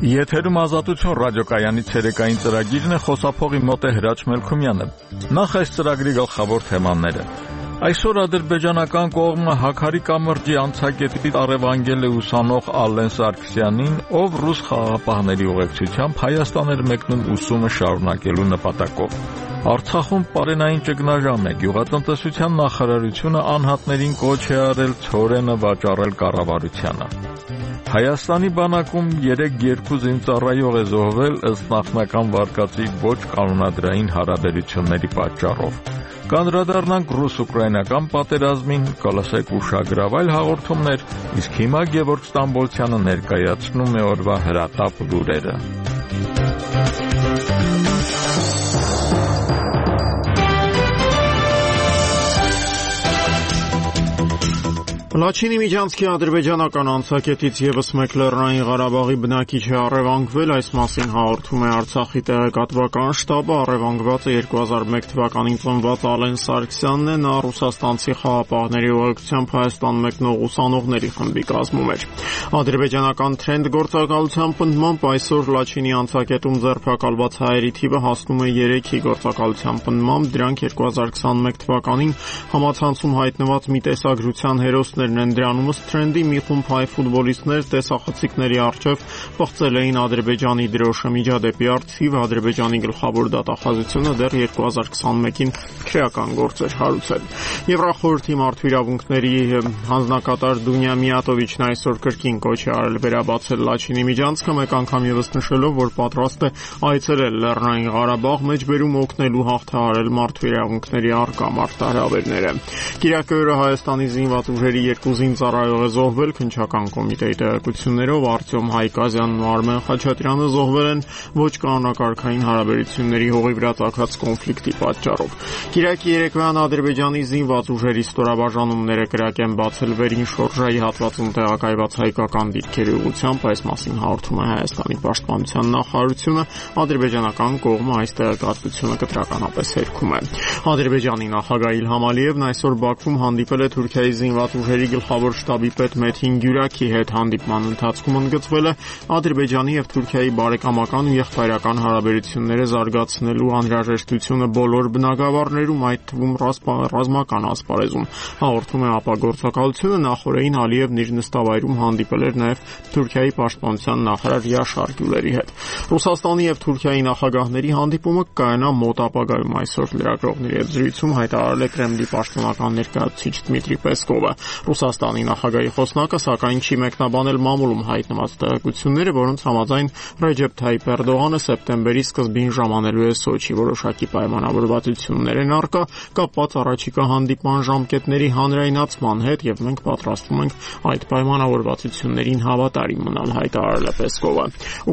Եթերում ազատություն ռադիոկայանի ցերեկային ծրագիրն է, խոսափողի մոտ է Հրաչ Մելքումյանը։ Նախ այս ծրագրի գլխավոր թեմաները։ Այսօր ադրբեջանական կողմը Հաքարի կամրջի անցակետի առևանգել է ուսանող Ալեն Սարգսյանին, ով ռուս խաղաղապահների ուղեկցությամբ Հայաստան էր մեկնում ուսումը շարունակելու նպատակով։ Արցախում պարենային ճգնաժամ է, գյուղատնտեսության նախարարությունը անհատներին կոչ է արել ցորենը վաճառել կառավարությանը։ Հայաստանի բանակում 3-2 զինծառայող է զոհվել ըստ նախնական վարկածի ոչ կանոնադրային հարաբերությունների պատճառով։ Կանդրադառնանք ռուս-ուկրաինական պատերազմին, կլսեք ուշագրավ այլ հաղորդումներ, իսկ հիմա Գևորգ Ստամբոլցյանը ներկայացնում է օրվա հրատապ լուրերը։ Լաչինի Միջանցքի ադրբեջանական անցակետից ևս մեկ Լեռնային Ղարաբաղի բնակիչ է առևանգվել, այս մասին հաղորդում է Արցախի տեղեկատվական շտաբը, առևանգվածը 2001 թվականին ծնված Ալեն Սարգսյանն է, նա ռուսաստանցի խաղաղապահների ուղեկցությամբ Հայաստան մեկնող ուսանողների խմբի կազմում էր։ Ադրբեջանական Թրենդ գործակալության պնդմամբ այսօր Լաչինի անցակետում ձերբակալված հայերի թիվը հասնում է 3-ի, գործակալության պնդմամբ դրանք 2021 թվականին համացանցում հայտնված մի տեսագրության հերոսներ են դրանում ըստ Թրենդի մի խումբ հայ ֆուտբոլիստներ տեսախցիկների առջև պղծել էին Ադրբեջանի դրոշը միջադեպի արդիվ Ադրբեջանի գլխավոր դատախազությունը դեռ 2021-ին քրեական գործ էր հարուցել։ Եվրախորհրդի մարդու իրավունքների հանձնակատար Դունյա Միատովիչն այսօր կրկին կոչ է արել վերաբացել Լաչինի Միջանցքը, մեկ անգամ ևս նշելով, որ պատրաստ է այցելել Լեռնային Ղարաբաղ, մեջբերում օգնելու հաղթահարել մարդու իրավունքների առկա մարտահրավերները։ Կիրակի օրը Հայաստանի զինված ուժերի 2 զինծառայող է զոհվել, քննչական կոմիտեի տեղեկություններով Արտյոմ Հայկազյանն ու Արմեն Խաչատրյանը զոհվել են ոչ կանոնակարգային հարաբերությունների հողի վրա ծագած կոնֆլիկտի պատճառով։ Կիրակի երեկոյան Ադրբեջանի զինված ուժերի ստորաբաժանումները կրակ են բացել Վերին շորժայի հատվածում տեղակայված հայկական դիրքերի ուղղությամբ, այս մասին հաղորդում է Հայաստանի պաշտպանության նախարարությունը, ադրբեջանական կողմը այս տեղեկատվությունը կտրականապես հերքում է։ Ադրբեջանի նախագահ Իլհամ Ալիևն այսօր Բաքվում հանդիպել է Թուրքիայի զինված ուժերի գլխավոր շտաբի պետ Մեթին Գյուրակի հետ, հանդիպման ընթացքում ընդգծվել է Ադրբեջանի եւ Թուրքիայի բարեկամական ու եղբայրական հարաբերությունները զարգացնելու անհրաժեշտությունը բոլոր բնագավառներում, այդ թվում ռազմական ասպարեզում։ Հաղորդում է ԱՊԱ գործակալությունը, նախորդին Ալիևն իր նստավայրում հանդիպել էր նաեւ Թուրքիայի պաշտպանության նախարար Յաշար Գյուլերի հետ։ Ռուսաստանի եւ Թուրքիայի նախագահների հանդիպումը կայանա մոտ ապագայում, այսօր լրագրողների հետ զրույցում հայտարարել է Կրեմլի պաշտոնական ներկայացուցիչ Դմիտրի Պեսկովը։ Ռուսաստանի նախագահի խոսնակը սակայն չի մեկնաբանել մամուլում հայտնված տեղեկությունները, որոնց համաձայն Ռեջեփ Թայիփ Էրդողանը սեպտեմբերի սկզբին ժամանելու է Սոչի, որոշակի պայմանավորվածություններ են առկա կապված առաջիկա հանդիպման ժամկետների հանրայնացման հետ եւ մենք պատրաստվում ենք այդ պայմանավորվածություններին հավատարիմ մնալ, հայտարարել է Պեսկովը։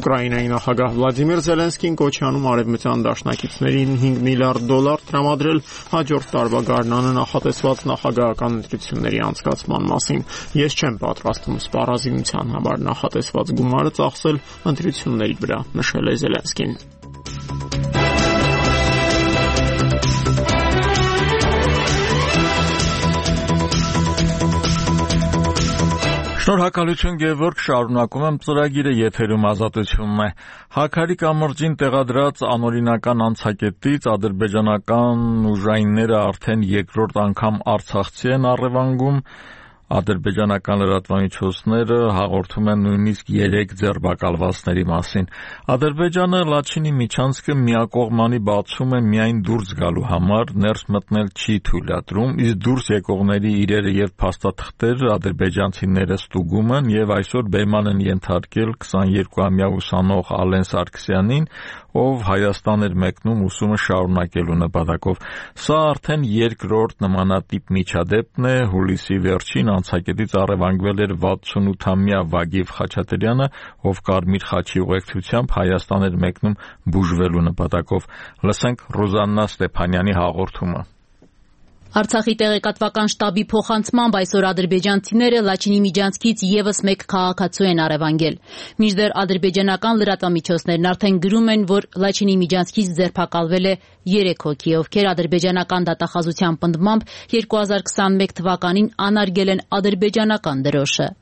Ուկրաինայի նախագահ Վլադիմիր Զելենսկին կոչ է անում արևմտյան դաշնակիցներին $5 միլիարդ տրամադրել հաջորդ տարվա գարնանը նախատեսված նախագահական ընտրությունների անցկացման մասին։ Ես չեմ պատրաստվում սպառազինության համար նախատեսված գումարը ծախսել ընտրությունների վրա, նշել է Զելենսկին։ Շնորհակալություն Գևորգ, շարունակում եմ ծրագիրը, եթերում ազատությունն է։ Հաքարի կամրջին տեղադրած անօրինական անցակետից ադրբեջանական ուժայինները արդեն երկրորդ անգամ արցախցի են առևանգում։ Ադրբեջանական լրատվամիջոցները հաղորդում են նույնիսկ 3 ձերբակալվածների մասին։ Ադրբեջանը Լաչինի Միջանցքը միակողմանի բացում է միայն դուրս գալու համար, ներս մտնել չի թույլատրում, իսկ դուրս եկողների իրերը եւ փաստաթղթերը ադրբեջանցիները ստուգում են եւ այսօր բեման են ենթարկել 22-ամյա ուսանող Ալեն Սարգսյանին, ով Հայաստան էր մեկնում ուսումը շարունակելու նպատակով։ Սա արդեն երկրորդ նմանատիպ միջադեպն է, հուլիսի վերջին անցակետից առևանգվել էր 68-ամյա Վագիվ Խաչատրյանը, ով Կարմիր խաչի ուղեկցությամբ Հայաստան էր մեկնում բուժվելու նպատակով։ Լսենք Ռուզաննա Ստեփանյանի հաղորդումը։ Արցախի տեղեկատվական շտաբի փոխանցմամբ այսօր ադրբեջանցիները Լաչինի Միջանցքից ևս մեկ քաղաքացու են առևանգել։ Մինչդեռ ադրբեջանական լրատվամիջոցներն արդեն գրում են, որ Լաչինի Միջանցքից ձերբակալվել է 3 հոգի, ովքեր ադրբեջանական դատախազության պնդմամբ 2021 թվականին անարգել են ադրբեջանական դրոշը։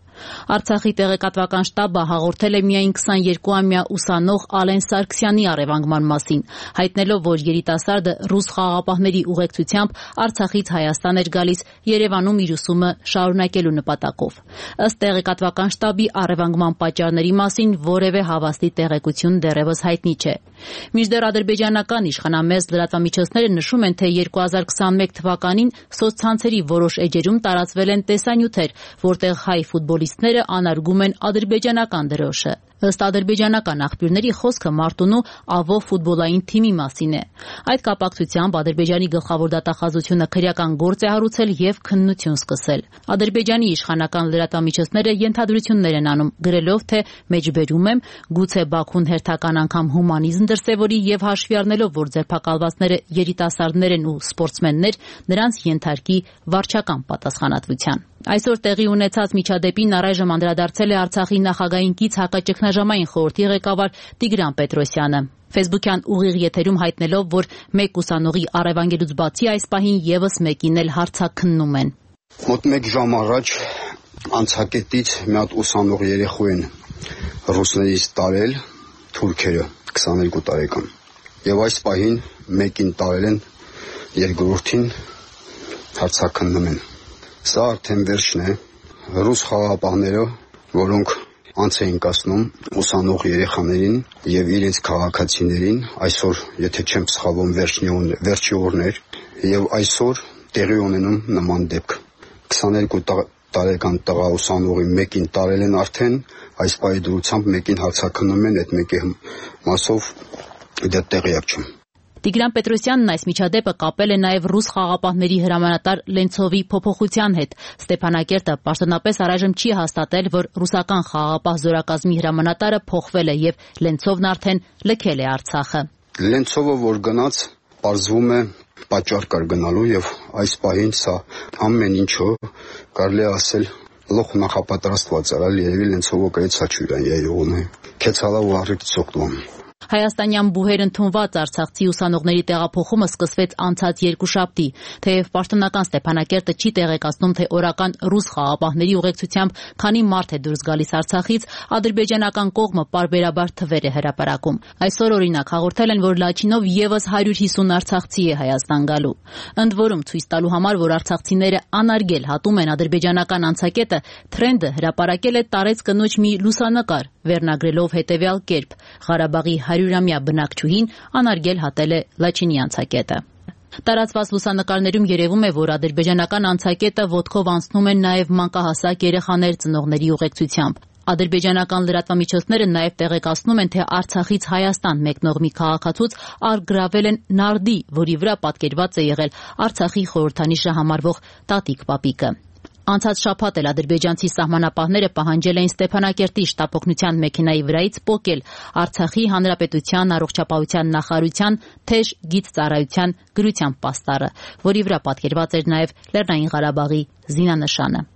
Արցախի տեղեկատվական շտաբը հաղորդել է միայն 22-ամյա ուսանող Ալեն Սարգսյանի առևանգման մասին, հայտնելով, որ երիտասարդը ռուս խաղաղապահների ուղեկցությամբ Արցախից Հայաստան էր գալիս Երևանում իր ուսումը շարունակելու նպատակով։ Ըստ տեղեկատվական շտաբի առևանգման պատճառների մասին որևէ հավաստի տեղեկություն դեռևս հայտնի չէ։ Մինչդեռ ադրբեջանական իշխանամեզ լրատվամիջոցները նշում են, թե 2021 թվականին սոցցանցերի որոշ էջերում տարածվել են տեսանյութեր, որտեղ հայ ֆուտբոլիստները անարգում են ադրբեջանական դրոշը։ Ըստ ադրբեջանական աղբյուրների խոսքը Մարտունու Ավո ֆուտբոլային թիմի մասին է։ Այդ կապակցությամբ Ադրբեջանի գլխավոր դատախազությունը քրեական գործ է հարուցել եւ քննություն սկսել։ Ադրբեջանի իշխանական լրատվամիջոցները ենթադրություններ են անում, գրելով, թե մեջբերում եմ, գուցե Բաքուն հերթական անգամ հումանիզմ դրսևորի եւ հաշվի առնելով, որ ձերբակալվածները երիտասարդներ են ու սպորտսմեններ, նրանց ենթարկի վարչական պատասխանատվության։ Այսօր տեղի ունեցած միջադեպին առայժմ անդրադարձել է Արցախի նախագահին կից հակաճգնաժամային խորհրդի ղեկավար Տիգրան Պետրոսյանը։ Facebook-յան ուղիղ եթերում հայտնելով, որ մեկ ուսանողի առևանգելուց բացի այս պահին եւս մեկին էլ հարցաքննում են։ Մոտ 1 ժամ առաջ անցակետից մի հատ ուսանող երեխու են ռուսներից տարել թուրքերը 22 տարեկան։ Եվ այս պահին մեկին տարել են, երկրորդին հարցաքննում են։ Սա արդեն վերջն է։ Ռուս խաղաղապահները, որոնք անց էին կացնում ուսանող երեխաներին եւ իրենց քաղաքացիներին, այսօր, եթե չեմ սխալվում, վերջի օրն էր, եւ այսօր տեղի ունենում նման դեպք։ 22 տարեկան տղա ուսանողի մեկին տարել են արդեն, այս պահի դրությամբ մեկին հարցաքննում են, այդ մեկի մասով դա տեղյակ չեմ։ Տիգրան Պետրոսյանն այս միջադեպը կապել է նաև ռուս խաղաղապահների հրամանատար Լենցովի փոփոխության հետ։ Ստեփանակերտը պաշտոնապես առայժմ չի հաստատել, որ ռուսական խաղաղապահ զորակազմի հրամանատարը փոխվել է եւ Լենցովն արդեն լքել է Արցախը։ Լենցովը որ գնաց, պարզվում է պատճառ կար գնալու եւ այս պահին սա ամեն ինչը կարելի է ասել լոխ նախապատրաստված արալ, երևի Լենցովը կայց հաչուրան յայողն է։ Քեցալա ու առիթ ծոկտում։ Հայաստանյան բուհեր ընդունված արցախցի ուսանողների տեղափոխումը սկսվեց անցած երկուշաբթի, թեև պաշտոնական Ստեփանակերտը չի տեղեկացնում, թե օրական ռուս խաղաղապահների ուղեկցությամբ քանի մարդ է դուրս գալիս Արցախից, ադրբեջանական կողմը պարբերաբար թվեր է հրապարակում։ Այսօր օրինակ հաղորդել են, որ Լաչինով եւս 150 արցախցի է Հայաստան գալու։ Ընդ որում ցույց տալու համար, որ արցախցիները անարգել հատում են ադրբեջանական անցակետը, Թրենդը հրապարակել է տարեց կնոջ մի լուսանկար, վերնագրելով հետևյալ կերպ. Ղարաբաղի 100-ամյա բնակչուհին անարգել հատել է Լաչինի անցակետը։ Տարածված լուսանկարներում երևում է, որ ադրբեջանական անցակետը ոտքով անցնում են նաև մանկահասակ երեխաներ ծնողների ուղեկցությամբ։ Ադրբեջանական լրատվամիջոցները նաև տեղեկացնում են, թե Արցախից Հայաստան մեկնող մի քաղաքացուց առգրավել են նարդի, որի վրա պատկերված է եղել Արցախի խորհրդանիշը համարվող տատիկ պապիկը։ Անցած շաբաթ էլ ադրբեջանցի սահմանապահները պահանջել էին Ստեփանակերտի շտապօգնության մեքենայի վրայից պոկել Արցախի Հանրապետության առողջապահության նախարարության թեժ գիծծառայության գրության պաստառը, որի վրա պատկերված էր նաև Լեռնային Ղարաբաղի զինանշանը։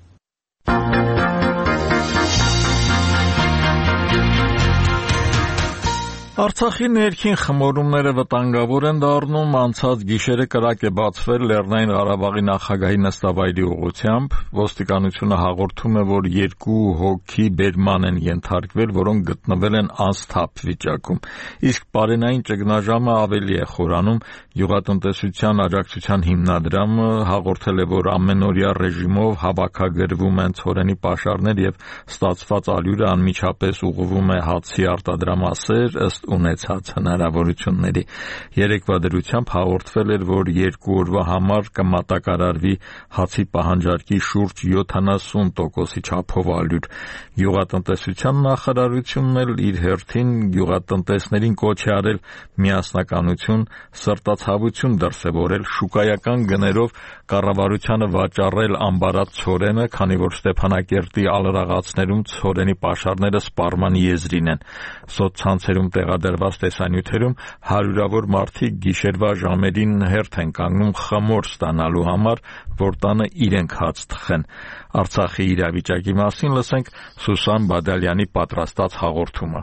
Արցախի ներքին խմորումները վտանգավոր են դառնում, անցած գիշերը կրակ է բացվել Լեռնային Ղարաբաղի նախագահի նստավայրի ուղղությամբ, ոստիկանությունը հաղորդում է, որ 2 հոգի բերման են ենթարկվել, որոնք գտնվել են անսթափ վիճակում, իսկ պարենային ճգնաժամը ավելի է խորանում, Գյուղատնտեսության աջակցության հիմնադրամը հաղորդել է, որ ամենօրյա ռեժիմով հավաքագրվում են ցորենի պաշարներ եւ ստացված ալյուրը անմիջապես ուղղվում է հացի արտադրամասեր ըստ ունեցած հնարավորությունների։ Երեկվա դրությամբ հաղորդվել էր, որ 2 օրվա համար կմատակարարվի հացի պահանջարկի շուրջ 70% չափով ալյուր։ Գյուղատնտեսության նախարարությունն էլ իր հերթին գյուղատնտեսներին կոչ է արել միասնականություն, սրտացավություն դրսևորել, շուկայական գներով կառավարությանը վաճառել ամբարած ցորենը, քանի որ Ստեփանակերտի ալրաղացներում ցորենի պաշարները սպառման եզրին են։ Սոցցանցերում տեղադրված տեսանյութերում հարյուրավոր մարդիկ գիշերվա ժամերին հերթ են կանգնում խմոր ստանալու համար, որ տանը իրենք հաց թխեն։ Արցախի իրավիճակի մասին լսենք Սուսան Բադալյանի պատրաստած հաղորդումը։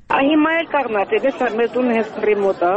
Հիմա էլ կառնած է, դες մեր տունը հենց ռեմոտ է։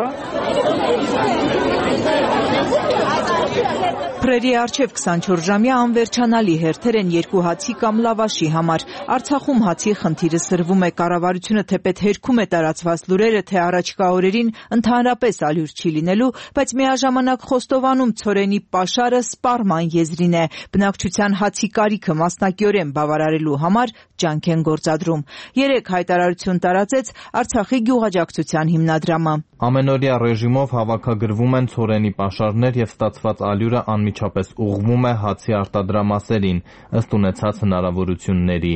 Փրերի առջև 24-ժամյա անվերջանալի հերթեր են երկու հացի կամ լավաշի համար։ Արցախում հացի խնդիրը սրվում է, կառավարությունը թեպետ հերքում է տարածված լուրերը, թե առաջիկա օրերին ընդհանրապես ալյուր չի լինելու, բայց միաժամանակ խոստովանում ցորենի պաշարը սպառման եզրին է։ Բնակչության հացի կարիքը մասնակիորեն բավարարելու համար ջանք են գործադրում։ Երեկ հայտարարություն տարածեց Արցախի գյուղաճակցության հիմնադրամը։ Ամենօրյա ռեժիմով հավաքագրվում են ցորենի պաշարներ եւ ստացված ալյուրը անմիջապես ուղղվում է հացի արտադրամասերին, ըստ ունեցած հնարավորությունների։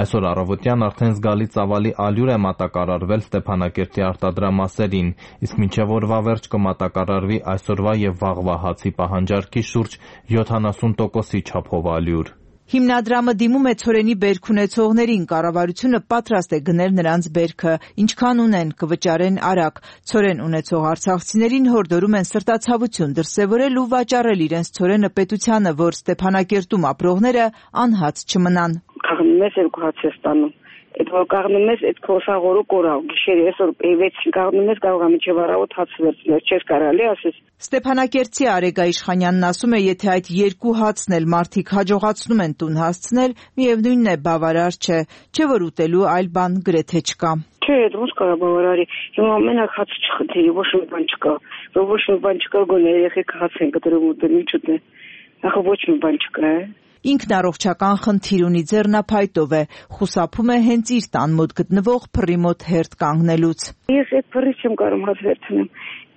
Այսօր առավոտյան արդեն զգալի ծավալի ալյուր է մատակարարվել Ստեփանակերտի արտադրամասերին, իսկ մինչև օրվա վերջ կմատակարարվի այսօրվա եւ վաղվա հացի պահանջարկի շուրջ 70%-ի չափով ալյուր։ Հիմնադրամը դիմում է ցորենի բերք ունեցողներին, կառավարությունը պատրաստ է գնել նրանց բերքը, ինչքան ունեն կվճարեն արագ։ Ցորեն ունեցող արցախցիներին հորդորում են սրտացավություն դրսևորել ու վաճառել իրենց ցորենը պետությանը, որ Ստեփանակերտում ապրողները անհաց չմնան։ Կաղնում ես երկու հաց ես ստանում։ Այդ որ կաղնում ես, այդ քոսաղորը կորավ, գիշերը այսօր 6-ին կաղնում ես, կարող է մինչև առավոտ հաց վերցնել, չես կարելի ասես։ Ստեփանակերտցի Արեգա Իշխանյանն ասում է, եթե այդ երկու հացն էլ մարդիկ հաջողացնում են տուն հասցնել, միևնույնն է բավարար չէ, չէ որ ուտելու այլ բան գրեթե չկա։ Չէ, այդ ոնց կարա բավարարի։ Հիմա մենակ հաց չխնդրի, ոչ մի բան չկա։ Ոչ մի բան չկա, գոնե երեխեք հաց են կտրում ուտել, ինչ ուտեն։ Ախը ոչ մի բան չկա, է։ Ինքն առողջական խնդիր ունի, ձեռնափայտով է, խուսափում է հենց իր տան մոտ գտնվող փռի մոտ հերթ կանգնելուց։ Ես այդ փռից չեմ կարող հաց վերցնեմ։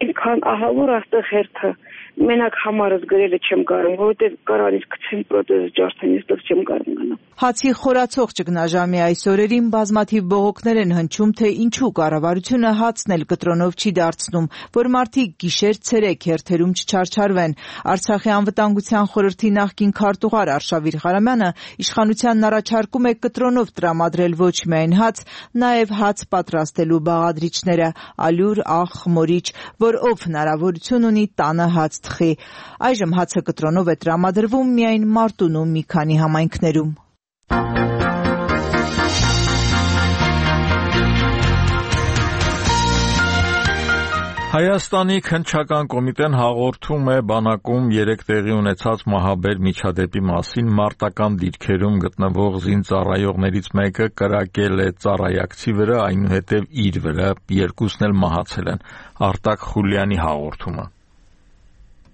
Ինքան ահավոր աստեղ հերթը մենակ համարս գրելը չեմ կարող, որովհետև կարանից գցեն պրոթեզը ջարդեն, այստեղ չեմ կարող գնալ։ Հացի խորացող ճգնաժամի այս օրերին բազմաթիվ բողոքներ են հնչում, թե ինչու կառավարությունը հացն էլ կտրոնով չի դարձնում, որ մարդիկ գիշեր-ցերեկ հերթերում չչարչարվեն։ Արցախի անվտանգության խորհրդի նախկին քարտուղար Արշավիր Ղարամյանը իշխանությանն առաջարկում է կտրոնով տրամադրել ոչ միայն հաց, նաև հաց պատրաստելու բաղադրիչները՝ ալյուր, աղ, խմորիչ, որ ով հնարավորություն ունի տանը հաց թխի։ Այժմ հացը կտրոնով է տրամադրվում միայն Մարտունու մի քանի համայնքներում։ Հայաստանի քննչական կոմիտեն հաղորդում է բանակում երեկ տեղի ունեցած մահաբեր միջադեպի մասին մարտական դիրքերում գտնվող զինծառայողներից մեկը կրակել է ծառայակցի վրա, այնուհետև իր վրա, երկուսն էլ մահացել են։ Արտակ Խուլյանի հաղորդումը։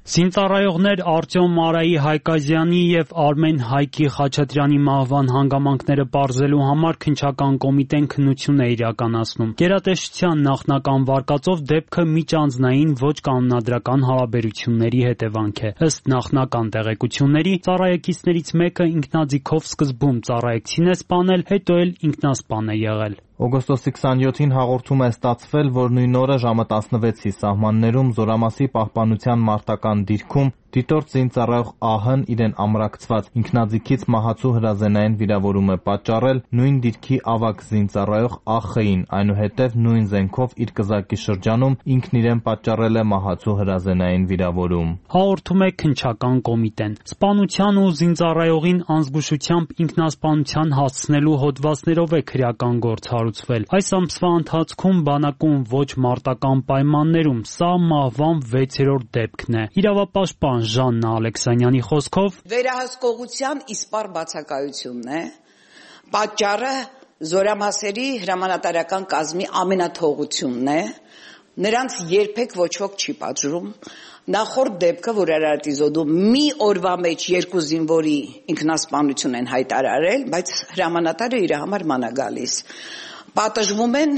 Զինծառայողներ Արտյոմ Մարայի Հայկազյանի եւ Արմեն Հայքի Խաչատրյանի մահվան հանգամանքները պարզելու համար քննչական կոմիտեն քննություն է իրականացնում։ Գերատեսչության նախնական վարկածով դեպքը միջանձնային ոչ կանոնադրական հարաբերությունների հետևանք է։ Ըստ նախնական տեղեկությունների, ծառայեկիցներից մեկը ինքնաձիգով սկզբում ծառայեկցին է սպանել, հետո էլ ինքնասպան է եղել։ Օգոստոսի 27-ին հաղորդում է ստացվել, որ նույն օրը ժամը 16-ի սահմաններում Զորամասի պահպանության մարտական դիրքում դիտորդ զինծառայող ԱՀ-ն իրեն ամրակցված ինքնաձիգից մահացու հրազենային վիրավորում է պատճառել նույն դիրքի ավագ զինծառայող ԱԽ-ին, այնուհետև նույն զենքով իր կզակի շրջանում ինքն իրեն պատճառել է մահացու հրազենային վիրավորում։ Հաղորդում է քննչական կոմիտեն։ Սպանության ու զինծառայողին անզգուշությամբ ինքնասպանության հասցնելու հոդվածներով է քրեական գործ հարուցվել։ Այս ամսվա ընթացքում բանակում ոչ մարտական պայմաններում սա մահվան 6-րդ դեպքն է։ Իրավապաշտպան Ժաննա Ալեքսանյանի խոսքով վերահսկողության իսպառ բացակայությունն է, պատճառը զորամասերի հրամանատարական կազմի ամենաթողությունն է, նրանց երբեք ոչ ոք չի պատժում։ Նախորդ դեպքը, որ Արարատի զոդում մի օրվա մեջ 2 զինվորի ինքնասպանություն են հայտարարել, բայց հրամանատարը իր համար ման է գալիս։ Պատժվում են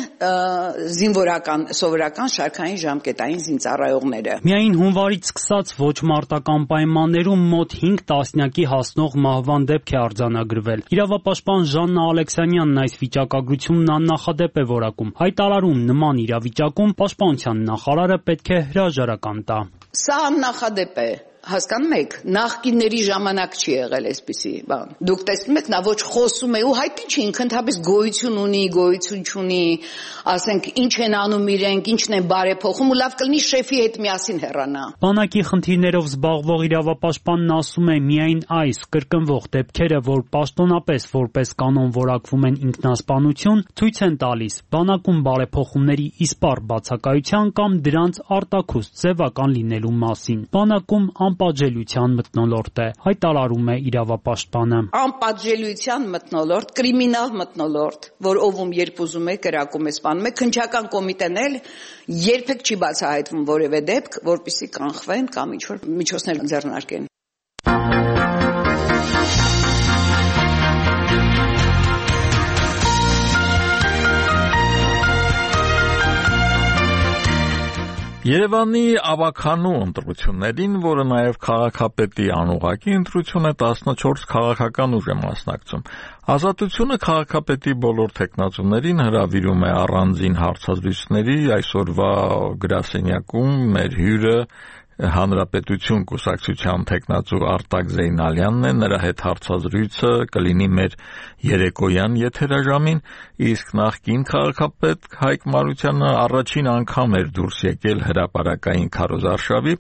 զինվորական, սովորական շարքային ժամկետային զինծառայողները։ Միայն հունվարից սկսած ոչ մարտական պայմաններում մոտ 5 տասնյակի հասնող մահվան դեպք է արձանագրվել։ Իրավապաշտպան Ժաննա Ալեքսանյանն այս վիճակագրությունն աննախադեպ է որակում։ Հայտարարում նման իրավիճակում պաշտպանության նախարարը պետք է հրաժարական տա։ Սա աննախադեպ է։ Հասկանում եք, նախկինների ժամանակ չի եղել այսպիսի բան։ Դուք տեսնում եք, նա ոչ խոսում է ու հայտնի չի, ինքն ընդհանրապես գոյություն ունի, գոյություն չունի, ասենք ինչ են անում իրենք, ինչն են բարեփոխում ու լավ կլինի շեֆի հետ միասին հեռանա։ Բանակի խնդիրներով զբաղվող իրավապաշտպանն ասում է, միայն այս կրկնվող դեպքերը, որ պաշտոնապես որպես կանոն որակվում են ինքնասպանություն, ցույց են տալիս բանակում բարեփոխումների իսպառ բացակայության կամ դրանց արտաքուստ ձևական լինելու մասին։ Բանակում անպատժելիության մթնոլորտ է, հայտարարում է իրավապաշտպանը։ Անպատժելիության մթնոլորտ, կրիմինալ մթնոլորտ, որ ով երբ ուզում է կրակում է սպանում է, քննչական կոմիտեն էլ երբեք չի բացահայտվում որևէ դեպք, որպեսզի կանխվեն կամ ինչ-որ միջոցներ ձեռնարկեն։ Երևանի ավագանու ընտրություններին, որը նաև քաղաքապետի անուղղակի ընտրություն է, 14 քաղաքական ուժ է մասնակցում։ Ազատությունը քաղաքապետի բոլոր թեկնածուներին հրավիրում է առանձին հարցազրույցների, այսօրվա գրասենյակում մեր հյուրը Հանրապետություն կուսակցության թեկնածու Արտակ Զեյնալյանն է, նրա հետ հարցազրույցը կլինի մեր երեկոյան եթերաժամին, իսկ նախկին քաղաքապետ Հայկ Մարությանը առաջին անգամ էր դուրս եկել հրապարակային քարոզարշավի,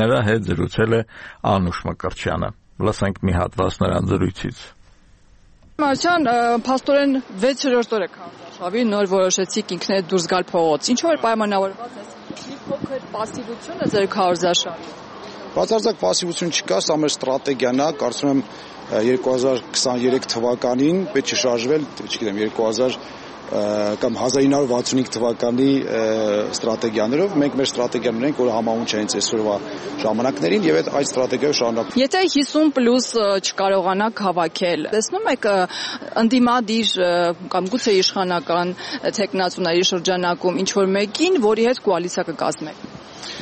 նրա հետ զրուցել է Անուշ Մկրտչյանը։ Լսենք մի հատված նրան զրույցից։ Մարության, փաստորեն 6-րդ օրը քարոզարշավի նոր որոշեցիք ինքներդ դուրս գալ փողոց։ Ինչու էր պայմանավորված այս մի փոքր պասիվությունը ձեր քարոզարշավի։ Բացարձակ պասիվություն չկա, սա մեր ստրատեգիան է, կարծում եմ 2023 թվականին պետք է շարժվել, չգիտեմ, 2000 կամ 1965 թվականի ստրատեգիաներով, մենք մեր ստրատեգիան ունենք, որը համահունչ է հենց այսօրվա ժամանակներին եւ այդ ստրատեգիայով շարունակում։ Եթե 50+ չկարողանաք հավաքել, տեսնում եք ընդդիմադիր կամ գուցե իշխանական թեկնածուների շրջանակում ինչ որ մեկին, որի հետ կոալիցիա կկազմեք։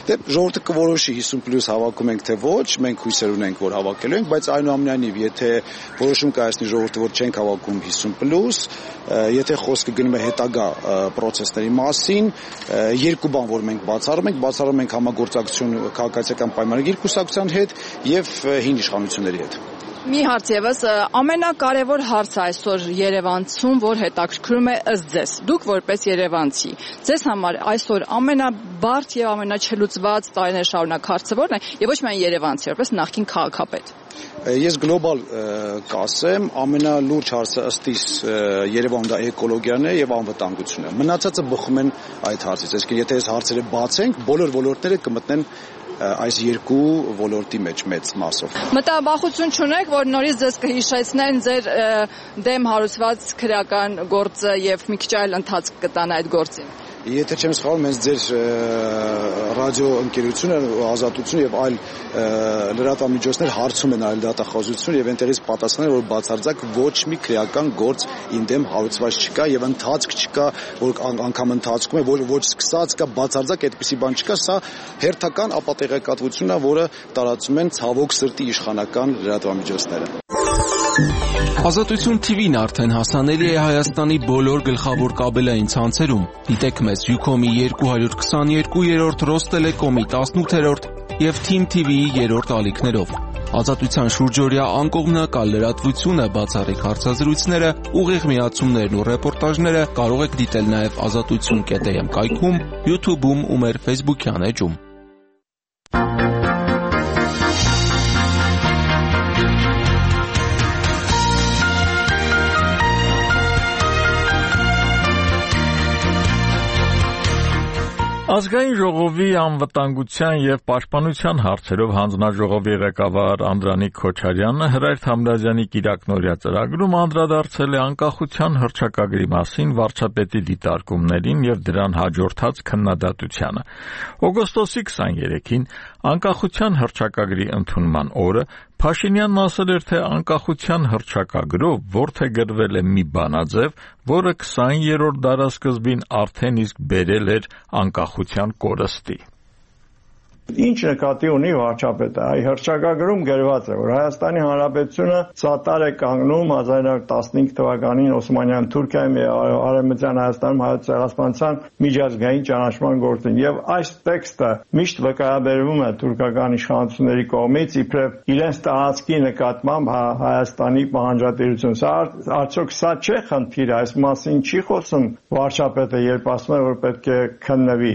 Դե ժողովուրդը կորոշի 50+ հավաքում ենք թե ոչ, մենք հույսեր ունենք, որ հավաքելու ենք, բայց այնուամենայնիվ, եթե որոշում կայացնի ժողովուրդը, որ չենք հավաքում 50+, եթե խոսքը գնում է հետագա պրոցեսների մասին, երկու բան, որ մենք բացառում ենք համագործակցություն քաղաքացիական պայմանագիր կուսակցության հետ եւ հին իշխանությունների հետ։ Մի հարց եւս, ամենակարևոր հարցը այսօր Երևանցում, որ հետաքրքրում է ըստ ձեզ, դուք որպես երևանցի, ձեզ համար այսօր ամենաբարդ եւ ամենաչլուծված տարիներ շարունակ հարցը ո՞րն է, եւ ոչ միայն երևանցի, որպես նախկին քաղաքապետ։ Ես գլոբալ կասեմ, ամենալուրջ հարցը ըստ իս Երևանում դա էկոլոգիան է եւ անվտանգությունն է։ Մնացածը բխում են այդ հարցից, այսինքն եթե այս հարցերը բացենք, բոլոր ոլորտները կմտնեն այս երկու ոլորտի մեջ մեծ մասով։ Մտաբախություն չունեք, որ նորից ձեզ կհիշեցնեն ձեր դեմ հարուցված քրեական գործը եւ մի քիչ այլ ընթացք կտան այդ գործին։ Եթե չեմ սխալվում, հենց ձեր ռադիո ընկերությունը, Ազատությունը եւ այլ լրատվամիջոցներ հարցում են այլ դատախազություն եւ այնտեղից պատասխանել, որ բացարձակ ոչ մի քրեական գործ ինդեմ հարուցված չկա եւ ընթացք չկա, որ անգամ ընթացքում է, ոչ սկսած կա, բացարձակ այդպիսի բան չկա, սա հերթական ապատեղեկատվությունն է, որը տարածում են ցավոք սրտի իշխանական լրատվամիջոցները։ Ազատություն TV-ն արդեն հասանելի է Հայաստանի բոլոր գլխավոր կաբելային ցանցերում։ Դիտեք մեզ Ucom-ի 222-րդ, Ռոստելեկոմի 18-րդ եւ Team TV-ի 3-րդ ալիքներով։ Ազատության շուրջօրյա անկողմնակալ լրատվությունը, բացառիկ հարցազրույցները, ուղիղ միացումներն ու ռեպորտաժները կարող եք դիտել նաեւ azatutsun.am կայքում, YouTube-ում ու մեր Facebook-յան էջում։ Ազգային ժողովի անվտանգության եւ պաշտպանության հարցերով հանձնաժողովի ղեկավար Անդրանիկ Քոչարյանը Հրայր Թամրազյանի կիրակնօրյա ծրագրում անդրադարձել է անկախության հռչակագրի մասին վարչապետի դիտարկումներին եւ դրան հաջորդած քննադատությանը։ Օգոստոսի 23-ին անկախության հռչակագրի ընդունման օրը Փաշինյանն ասել էր, թե անկախության հռչակագրով որդեգրվել է մի բանաձև, որը 20-րդ դարասկզբին արդեն իսկ բերել էր անկախության կորստի։ Ինչ նկատի ունի վարչապետը, այ հռչակագրում գրված է, որ Հայաստանի Հանրապետությունը սատար է կանգնում 1915 թվականին Օսմանյան Թուրքիայում եւ Արևմտյան Հայաստանում հայոց ցեղասպանության միջազգային ճանաչման գործին եւ այս տեքստը միշտ վկայաբերվում է թուրքական իշխանությունների կողմից իբրև իրենց տարածքի նկատմամբ Հայաստանի պահանջատիրություն։ Սա արդյոք սա չէ խնդիրը, այս մասին չի խոսում վարչապետը, երբ ասում է, որ պետք է քննվի։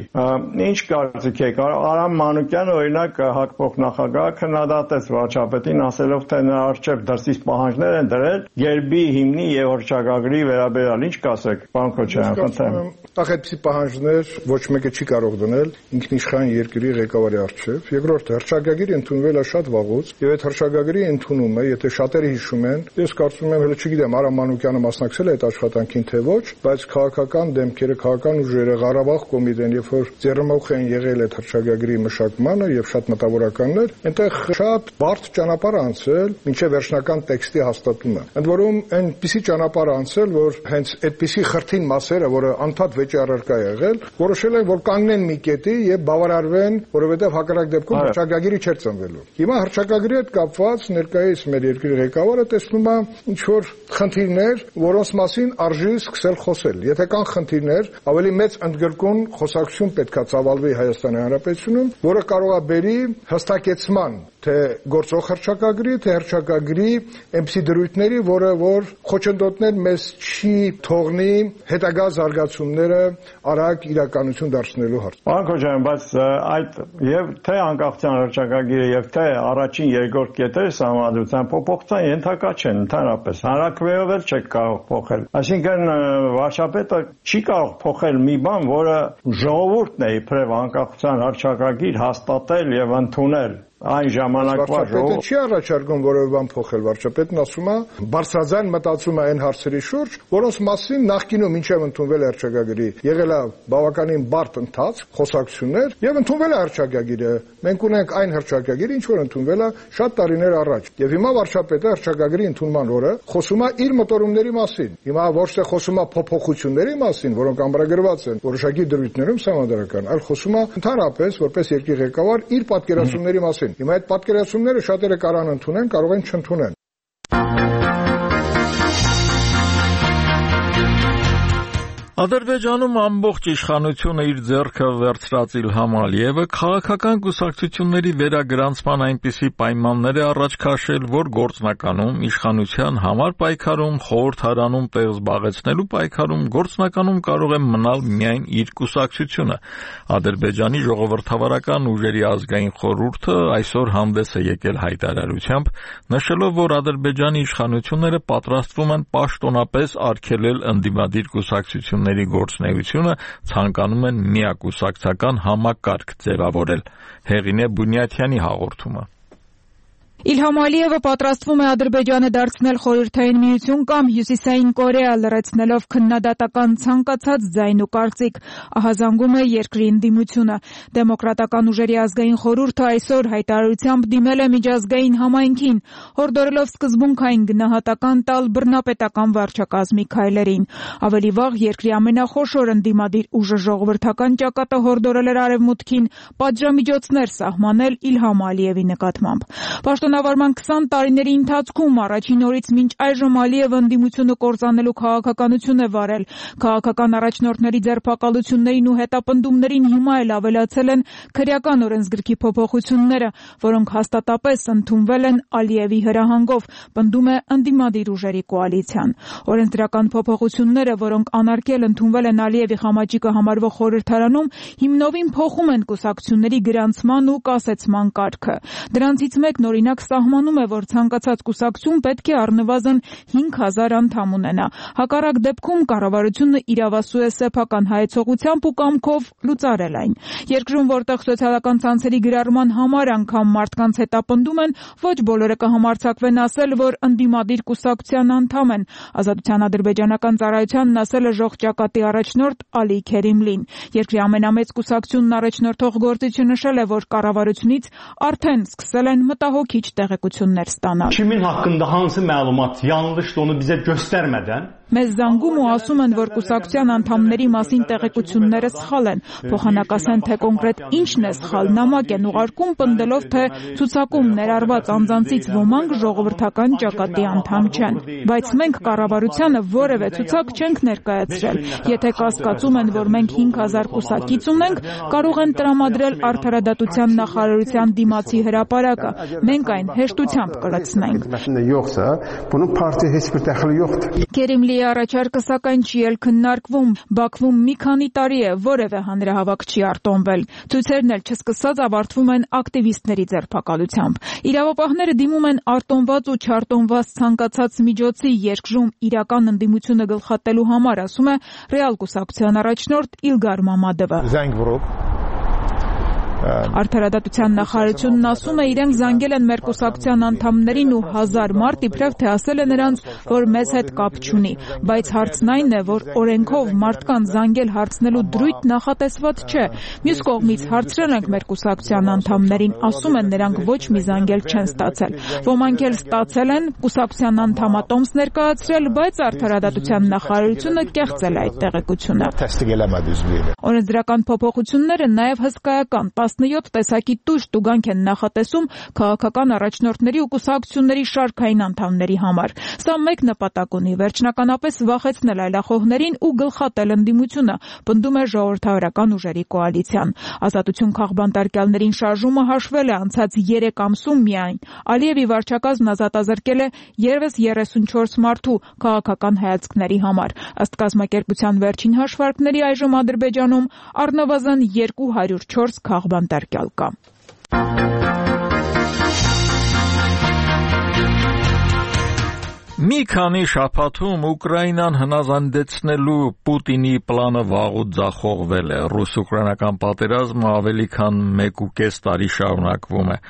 Ինչ կարծիք եք, Արամ Մանուկյանը օրինակ հակվող նախագահը քննադատեց վարչապետին, ասելով թե նրա առջև դրսից պահանջներ են դրել գերբի, հիմնի եւ հռչակագրի վերաբերյալ։ Ինչ կասեք, պարոն Քոչարյան, խնդրեմ։ Այդպիսի պահանջներ ոչ մեկը չի կարող դնել ինքնիշխան երկրի ղեկավարի առջև։ Երկրորդ, հռչակագիրը ընդունվել է շատ վաղուց, եւ այդ հռչակագրի ընդունումը, եթե շատերը հիշում են, ես կարծում եմ, հələ չգիտեմ, Արա Մանուկյանը մասնակցել է այդ աշխատանքին թե ոչ, բայց քաղաքական դեմքերը, քաղաքական ուժերը, Ղարաբաղ կոմիտեն, երբ որ ձեռնմուխ են եղել այդ հռչակագրի մշակմանը եւ շատ մտավորականներ, այնտեղ շատ բարդ ճանապարհ անցել մինչեւ վերջնական տեքստի հաստատումը։ Ընդ որում այնպիսի ճանապարհ անցել, որ հենց այդպիսի խրթին մասերը, որը անդադ վեճի առարկա եղել, որոշել են, որ կանգնեն մի կետի եւ բավարարվեն, որովհետեւ հակառակ դեպքում հռչակագիրը չէր ծնվելու։ Հիմա հռչակագրի հետ կապված ներկայիս մեր երկրի ղեկավարը տեսնում է ինչ որ խնդիրներ, որոնց մասին արժի սկսել խոսել։ Եթե կան խնդիրներ, ավելի մեծ ընդգրկուն խոսակցություն պետքա ծավալվի Հայաստանի Հանրապետությունում, որը կարող է բերի հստակեցման թե գործող հռչակագրի, թե հռչակագրի այնպիսի դրույթների, որը որ խոչընդոտներ մեզ չի թողնի հետագա զարգացումները արագ իրականություն դարձնելու հարց։ Պարոն Քոչարյան, բայց այդ եւ թե անկախության հռչակագիրը եւ թե առաջին երկրորդ կետերը համադրության փոփոխության ենթակա չեն ընդհանրապես։ Հանրակրվեով էլ չեք կարող փոխել։ Այսինքն վարչապետը չի կարող փոխել մի բան, որը ժողովուրդն է իբրև անկախության հռչակագիր հաստատել եւ ընդունել։ Այն ժամանակվա վարչապետը չի առաջարկում որևէ բան փոխել, վարչապետն ասում է բարձրաձայն մտածում է այն հարցերի շուրջ, որոնց մասին նախկինում ինչև ընդունվել է հռչակագրի, եղել է բավականին բարդ ընթացք, խոսակցություններ եւ ընդունվել է հռչակագիրը։ Մենք ունենք այն հռչակագիրը, ինչ որ ընդունվել է շատ տարիներ առաջ։ Եվ հիմա վարչապետը հռչակագրի ընդունման օրը խոսում է իր մտորումների մասին։ Հիմա ոչ թե խոսում է փոփոխությունների մասին, որոնք ամրագրված են որոշակի դրույթներում համանդրական, այլ խոսում է ընդհանրապես որպես երկրի ղեկավար իր պատկերացումների մասին։ Հիմա այդ պատկերացումները շատերը կարող են ընդունեն, կարող են չընդունեն։ Ադրբեջանում ամբողջ իշխանությունը իր ձեռքը վերցրած Իլհամ Ալիևը քաղաքական կուսակցությունների վերագրանցման այնպիսի պայմաններ է առաջ քաշել, որ գործնականում իշխանության համար պայքարում, խորհրդարանում տեղ զբաղեցնելու պայքարում գործնականում կարող է մնալ միայն իր կուսակցությունը։ Ադրբեջանի ժողովրդավարական ուժերի ազգային խորհուրդը այսօր հանդես է եկել հայտարարությամբ, նշելով, որ Ադրբեջանի իշխանությունները պատրաստվում են պաշտոնապես արգելել ընդդիմադիր կուսակցությունների գործունեությունը, ցանկանում են միակուսակցական համակարգ ձևավորել։ Հեղինե Բունյաթյանի հաղորդումը։ Իլհամ Ալիևը պատրաստվում է Ադրբեջանը դարձնել խորհրդային միություն կամ Հյուսիսային Կորեա, լրացնելով քննադատական ցանկացած ձայն ու կարծիք, ահազանգում է երկրի ընդդիմությունը։ Դեմոկրատական ուժերի ազգային խորհուրդը այսօր հայտարարությամբ դիմել է միջազգային համայնքին, հորդորելով սկզբունքային գնահատական տալ բռնապետական վարչակազմի քայլերին։ Ավելի վաղ երկրի ամենախոշոր ընդդիմադիր ուժը ժողովրդական ճակատը հորդորել էր Արևմուտքին պատժամիջոցներ սահմանել Իլհամ Ալիևի նկատմամբ։ Պաշտոնավարման 20 տարիների ընթացքում առաջին օրից մինչ այժմ Ալիևը ընդդիմությունը կործանելու քաղաքականություն է վարել։ Քաղաքական առաջնորդների ձերբակալություններին ու հետապնդումներին հիմա էլ ավելացել են քրեական օրենսգրքի փոփոխությունները, որոնք հաստատապես ընդունվել են Ալիևի հրահանգով, պնդում է ընդդիմադիր ուժերի կոալիցիան։ Օրենսդրական փոփոխությունները, որոնք անարգել ընդունվել են Ալիևի խամաճիկը համարվող խորհրդարանում, հիմնովին փոխում են կուսակցությունների գրանցման ու կասեցման կարգը։ Դրանցից մեկն օրինակ սահմանում է, որ ցանկացած կուսակցություն պետք է առնվազն 5000 անդամ ունենա։ Հակառակ դեպքում կառավարությունը իրավասու է սեփական հայեցողությամբ ու կամքով լուծարել այն։ Երկրում, որտեղ սոցիալական ցանցերի գրառման համար անգամ մարդկանց հետապնդում են, ոչ բոլորը կհամարձակվեն ասել, որ ընդդիմադիր կուսակցության անդամ են։ Ազատության ադրբեջանական ծառայությանն ասել է ժողջակատի առաջնորդ Ալի Քերիմլին։ Երկրի ամենամեծ կուսակցությունն առաջնորդող գործիչը նշել է, որ կառավարությունից արդեն սկսել են մտահոգիչ տեղեկություններ ստանալ։ Kimin haqqında hansı məlumat yanlışdır onu bizə göstərmədən Մեզ զանգում ու ասում են, որ կուսակցության անդամների մասին տեղեկությունները սխալ են։ Փոխանակասեն, թե կոնկրետ ինչն է սխալ, նամակ են ուղարկում, պնդելով, թե ցուցակում ներառված անձանցից ոմանք ժողովրդական ճակատի անդամ չեն։ Բայց մենք կառավարությանը որևէ ցուցակ չենք ներկայացրել։ Եթե կասկածում են, որ մենք 5000 կուսակից ունենք, կարող են տրամադրել Արդարադատության նախարարության դիմացի հրապարակը։ Մենք այն հեշտությամբ կլցնենք։ Քերիմլիի առաջարկը սակայն չի էլ քննարկվում։ Բաքվում մի քանի տարի է որևէ հանրահավաք չի արտոնվել։ Ցույցերն էլ չսկսած ավարտվում են ակտիվիստների ձերբակալությամբ։ Իրավապահները դիմում են արտոնված ու չարտոնված ցանկացած միջոցի երկրում իրական ընդդիմությունը գլխատելու համար, ասում է Ռեալ կուսակցության առաջնորդ Իլգար Մամադովը։ Արդարադատության նախարարությունն ասում է իրենք զանգել են մեր կուսակցության անդամներին ու 1000 մարդ իբրև թե ասել է նրանց, որ մեզ հետ կապ չունի, բայց հարցն այն է, որ օրենքով մարդկանց զանգել հարցնելու դրույթ նախատեսված չէ։ Մյուս կողմից հարցրել ենք մեր կուսակցության անդամներին, ասում են նրանք ոչ մի զանգել չեն ստացել։ Ոմանք էլ ստացել են, կուսակցության անդամատոմս ներկայացրել, բայց արդարադատության նախարարությունը կեղծել է այդ տեղեկությունը։ Օրենսդրական փոփոխությունները նաև հսկայական 17 տեսակի տույժ տուգանք են նախատեսում քաղաքական առաջնորդների ու կուսակցությունների շարքային անդամների համար։ Սա մեկ նպատակ ունի՝ վերջնականապես վախեցնել այլախոհներին ու գլխատել ընդդիմությունը, պնդում է ժողովրդավարական ուժերի կոալիցիան։ Ազատություն քաղբանտարկյալներին շարժումը հաշվել է անցած 3 ամսում միայն։ Ալիևի վարչակազմն ազատազրկել է ևս 34 մարդու քաղաքական հայացքների համար։ Ըստ կազմակերպության վերջին հաշվարկների այժմ Ադրբեջանում առնվազն 204 քաղբանտարկյալ կա։ Մի քանի շաբաթում Ուկրաինան հնազանդեցնելու Պուտինի պլանը վաղուց ձախողվել է։ Ռուս-ուկրաինական պատերազմը ավելի քան 1.5 տարի շարունակվում է։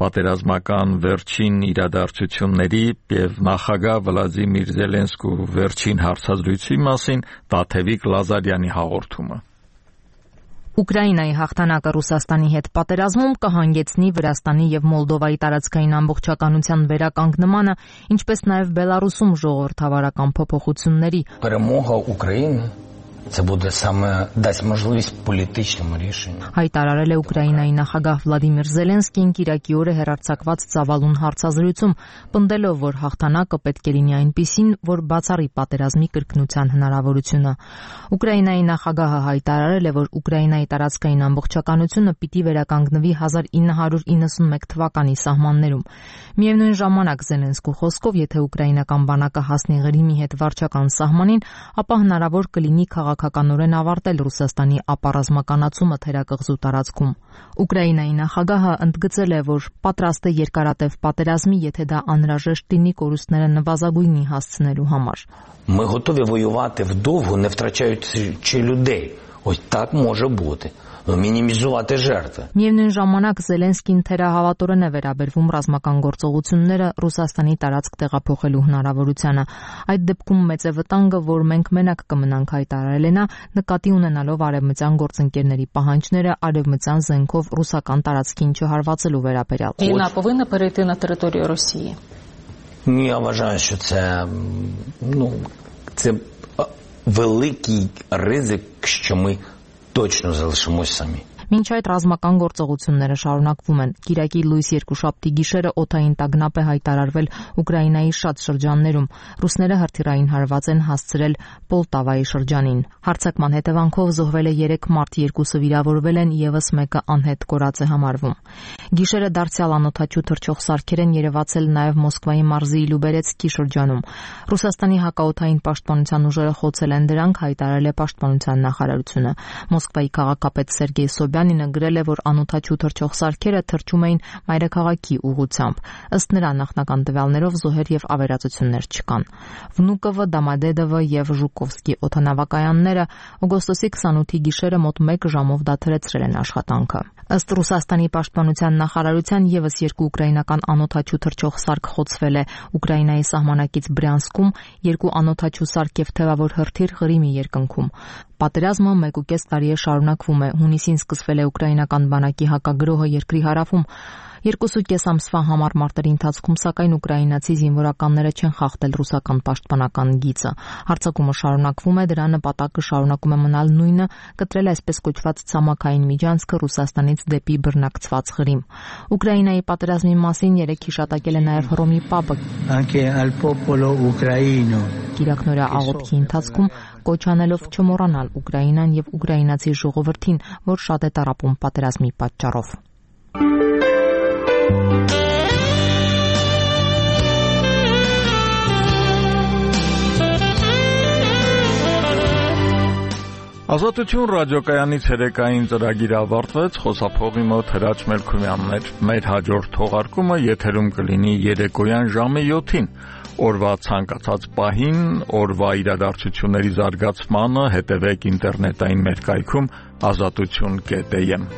Պատերազմական վերջին իրադարձությունների եւ նախագահ Վլադիմիր Զելենսկու վերջին հարցազրույցի մասին Տաթևիկ Լազարյանի հաղորդումը։ Ուկրաինայի հաղթանակը Ռուսաստանի հետ պատերազմում կհանգեցնի Վրաստանի եւ Մոլդովայի տարածքային ամբողջականության վերականգնմանը, ինչպես նաեւ Բելարուսում ժողովրդավարական փոփոխությունների։ Перемога України це буде саме дасть можливість політичному рішенню. Հայտարարել է Ուկրաինայի նախագահ Վլադիմիր Զելենսկին Կիրակի օրը հեռարձակված ծավալուն հարցազրույցում, պնդելով, որ հաղթանակը պետք է լինի այնպիսին, որ բացառի պատերազմի կրկնության հնարավորությունը։ Ուկրաինայի նախագահը հայտարարել է, որ Ուկրաինայի տարածքային ամբողջականությունը պիտի վերականգնվի 1991 թվականի սահմաններում։ Միևնույն ժամանակ Զելենսկու խոսքով, եթե ուկրաինական բանակը հասնի Ղրիմի հետ վարչական սահմանին, ապա հնարավոր կլինի քաղաքականորեն ավարտել Ռուսաստանի ապառազմականացումը թերակղզու տարածքում։ Ուկրաինայի նախագահը ընդգծել է, որ պատրաստ է երկարատև պատերազմի, եթե դա անհրաժեշտ լինի կորուստները նվազագույնի հասցնելու համար։ Ми готові воювати вдовго, не втрачаючи людей. Ось так може бути. Մինիմիզувати жертви. Միևնույն ժամանակ Զելենսկին թերահավատորեն է վերաբերվում ռազմական գործողությունները Ռուսաստանի տարածք տեղափոխելու հնարավորությանը։ Այդ դեպքում մեծ է վտանգը, որ մենք մենակ կմնանք, հայտարարել է նա, նկատի ունենալով արևմտյան գործընկերների պահանջները արևմտյան զենքով ռուսական տարածքին չհարվածելու վերաբերյալ։ Війна повинна перейти на територію Росії. Я вважаю, що це великий ризик, що ми точно залишимось самі. Մինչ այդ ռազմական գործողությունները շարունակվում են։ Կիրակի լույս երկուշաբթի գիշերը օդային տագնապ է հայտարարվել Ուկրաինայի շատ շրջաններում։ Ռուսները հրթիռային հարված են հասցրել Պոլտավայի շրջանին։ Հարձակման հետևանքով զոհվել է 3 մարդ, 2-ը վիրավորվել են, եւս մեկը անհետ կորած է համարվում։ Գիշերը դարձյալ անօդաչու թռչող սարքեր են երևացել նաեւ Մոսկվայի մարզի Լյուբերեցկի շրջանում։ Ռուսաստանի հակաօդային պաշտպանության ուժերը խոցել են դրանք, հայտարարել է պաշտպանության նախարարությունը։ Մոսկվայի քաղաքապետ Սերգեյ Սոբյանինը գրել է, որ անօդաչու թռչող սարքերը թռչում էին մայրաքաղաքի ուղղությամբ։ Ըստ նրա նախնական տվյալներով զոհեր եւ ավերածություններ չկան։ Վնուկովը, Դամադեդովը եւ Ժուկովսկի օդանավակայանները օգոստոսի 28-ի գիշերը մոտ 1 ժամով դադարեցրել են աշխատանքը։ Ըստ Ռուսաստանի պաշտպանության նախարարության եւս 2 ուկրաինական անօդաչու թռչող սարք խոցվել է Ուկրաինայի սահմանակից Բրյանսկում, 2 անօդաչու սարք եւ թևավոր հրթիռ Ղրիմի երկնքում։ Պատերազմը 1.5 տարի է շարունակվում է։ Հունիսին սկսվել է ուկրաինական բանակի հակագրոհը երկրի հարավում։ 2.5 ամսվա համար մարտերի ընթացքում սակայն ուկրաինացի զինվորականները չեն խախտել ռուսական պաշտպանական գիծը։ Հարձակումը շարունակվում է, դրա նպատակը շարունակում է մնալ նույնը՝ կտրել այսպես կոչված ցամաքային միջանցքը Ռուսաստանից դեպի բռնակցված Ղրիմ։ Ուկրաինայի պատերազմի մասին երեք հիշատակել է նաև Հռոմի Պապը։ Կիրակնորյա աղոթքի ընթացքում կոչ անելով չմոռանալ Ուկրաինան եւ ուկրաինացի ժողովրդին, որ շատ է տառապում պատերազմի պատճառով։ Ազատություն ռադիոկայանի ցերեկային ծրագիրը ավարտվեց, խոսափողի մոտ Հրաչ Մելքումյանն էր։ Մեր հաջորդ թողարկումը եթերում կլինի երեկոյան ժամը 7-ին։ Օրվա ցանկացած պահին, օրվա իրադարձությունների զարգացմանը հետևեք ինտերնետային մեր կայքում azatutun.am